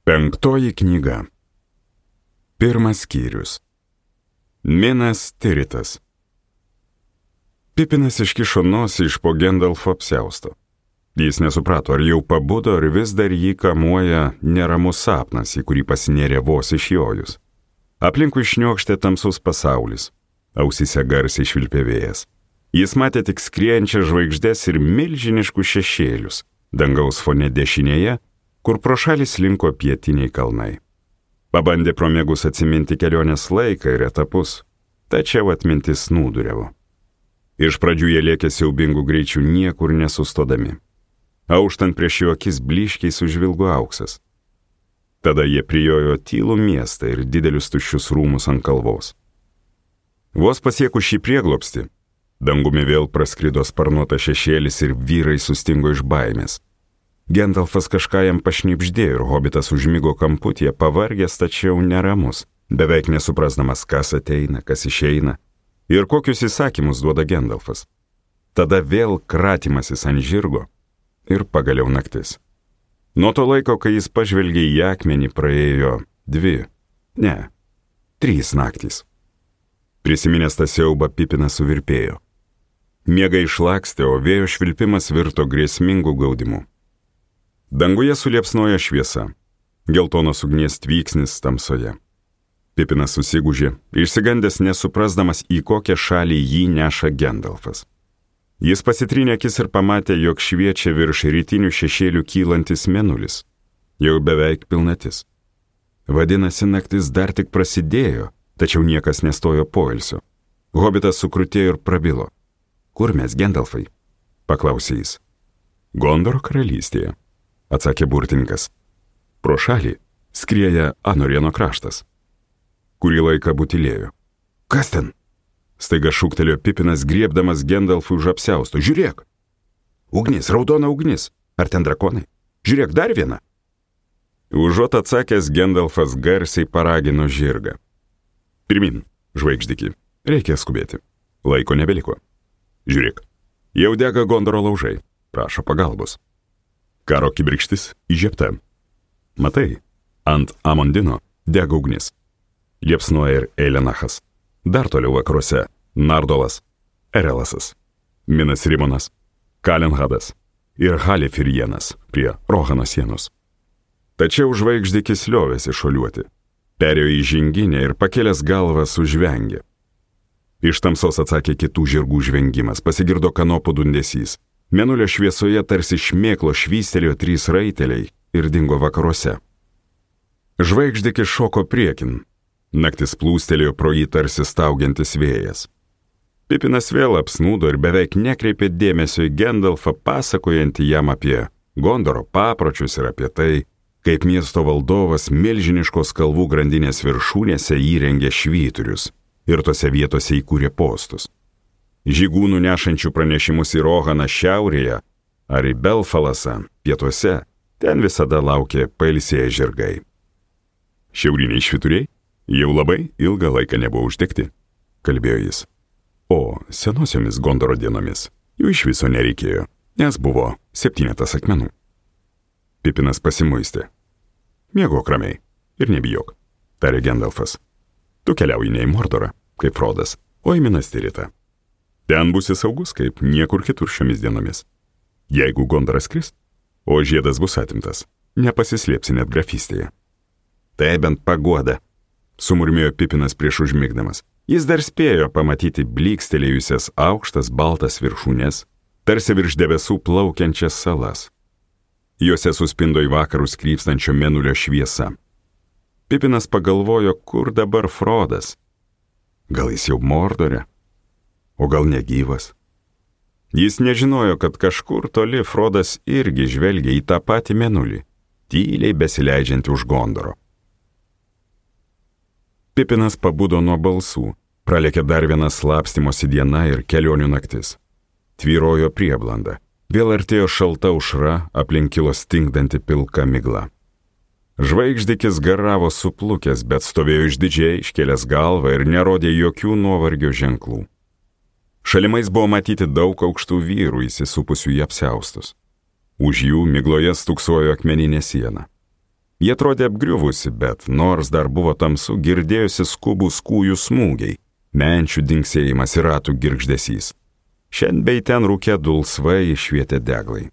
Penktoji knyga. Pirmas skyrius. Minas Tiritas. Pipinas iškišo nosį iš po Gendalfo apsiausto. Jis nesuprato, ar jau pabudo, ar vis dar jį kamuoja neramus sapnas, į kurį pasinėrė vos išjojus. Aplinkui šniokštė tamsus pasaulis. Ausyse garsiai švilpė vėjas. Jis matė tik skriejančias žvaigždės ir milžiniškus šešėlius. Dangaus fone dešinėje, kur pro šalį slinko pietiniai kalnai. Pabandė pro miegus atsiminti kelionės laiką ir etapus, tačiau atmintis nūduriavo. Iš pradžių jie lėkė siaubingų greičių niekur nesustodami. Auštant prieš jų akis blyškiai sužvilgo auksas. Tada jie prijojo tylų miestą ir didelius tuščius rūmus ant kalvos. Vos pasiekus šį prieglobstį, dangumi vėl praskrido sparnuotas šešėlis ir vyrai sustingo iš baimės. Gendalfas kažką jam pašnibždėjo ir hobitas užmigo kamputyje, pavargęs tačiau neramus, beveik nesuprasdamas, kas ateina, kas išeina ir kokius įsakymus duoda Gendalfas. Tada vėl kratymasis ant žirgo ir pagaliau naktis. Nuo to laiko, kai jis pažvelgė į akmenį, praėjo 3 naktys. Prisiminęs tą siaubą, Pipinas suvirpėjo. Miega išlakstė, o vėjo švilpimas virto grėsmingų gaudimu. Danguje suliepsnojo šviesa, geltonos ugnies tvyksnis tamsoje. Pipinas susigūžė, išsigandęs nesuprasdamas, į kokią šalį jį neša Gendalfas. Jis pasitrynė akis ir pamatė, jog šviečia virš rytinių šešėlių kylantis mėnulis. Jau beveik pilnatis. Vadinasi, naktis dar tik prasidėjo, tačiau niekas nestojo poilsio. Hobitas sukrutėjo ir prabilo. Kur mes, Gendalfai? Paklausė jis. Gondoro karalystėje, atsakė burtininkas. Pro šalį skrieja Anorieno kraštas. Kurį laiką butilėjo. Kas ten? Staiga šūktelėjo Pipinas, griebdamas Gendalfui už apsiausto. Žiūrėk! Ugnis, raudona ugnis. Ar ten drakonai? Žiūrėk, dar viena. Užuot atsakęs, Gendalfas garsiai paragino žirgą. Pirmin, žvaigždiki, reikia skubėti. Laiko nebeliko. Žiūrėk, jau dega Gondoro laužai. Prašo pagalbos. Karo kibirkštis įžiebta. Matai, ant Amondino dega ugnis. Liepsnoja ir Eilenachas. Dar toliau vakaruose Nardolas, Erelasas, Minas Rimonas, Kalenhadas ir Halifirienas prie Rohano sienos. Tačiau žvaigždikis liovėsi šuoliuoti. Perėjo į žinginę ir pakėlęs galvą sužvengė. Iš tamsos atsakė kitų žirgų žvengimas, pasigirdo kanopų dundesys. Mėnulio šviesoje tarsi šmėklo švystelėjo 3 raiteliai ir dingo vakaruose. Žvaigždikis šoko priekin. Naktis plūstelėjo pro jį tarsi staugiantis vėjas. Pipinas vėl apsnūdo ir beveik nekreipė dėmesio į Gendalfą, pasakojantį jam apie Gondoro papročius ir apie tai, kaip miesto valdovas milžiniškos kalvų grandinės viršūnėse įrengė švyturius ir tose vietose įkūrė postus. Žygūnų nešančių pranešimus į Rohaną šiaurėje ar į Belfalasą pietuose, ten visada laukė pailsėję žirgai. Šiauriniai švyturiai jau labai ilgą laiką nebuvo uždegti, kalbėjo jis. O senosiomis Gondoro dienomis jų iš viso nereikėjo, nes buvo 7 akmenų. Pipinas pasimuistė. Miegok ramiai ir nebijok, tarė Gendalfas. Tu keliauji ne į Mordorą, kaip Frodas, o į Minas Tiritą. Ten būsi saugus, kaip niekur kitur šiomis dienomis. Jeigu Gondoras kris, o žiedas bus atimtas, nepasislėpsi net grafystėje. Tai bent paguoda, sumurmėjo Pipinas prieš užmigdamas. Jis dar spėjo pamatyti blykstelėjusias aukštas baltas viršūnės, tarsi virš debesų plaukiančias salas. Juose suspindo į vakarus krypstančio mėnulio šviesa. Pipinas pagalvojo, kur dabar Frodas. Gal jis jau Mordore? O gal negyvas? Jis nežinojo, kad kažkur toli Frodas irgi žvelgia į tą patį mėnulį, tyliai besileidžiantį už Gondoro. Pipinas pabudo nuo balsų, pralėkė dar viena slapstymosi diena ir kelionių naktis. Tvyrojo prieblanda, vėl artėjo šalta aušra, aplink kilo stingdanti pilka migla. Žvaigždikis garavo suplukęs, bet stovėjo išdidžiai, iškėlęs galvą ir nerodė jokių nuovargio ženklų. Šalimais buvo matyti daug aukštų vyrų įsisupusių į apsiaustus. Už jų migloje stūksojo akmeninė siena. Jie atrodė apgriuvusi, bet nors dar buvo tamsu, girdėjosi skubus kūjų smūgiai, menčių dinksėjimas ir ratų girgždesys. Šiandien bei ten rūke dulsvai švietė deglai.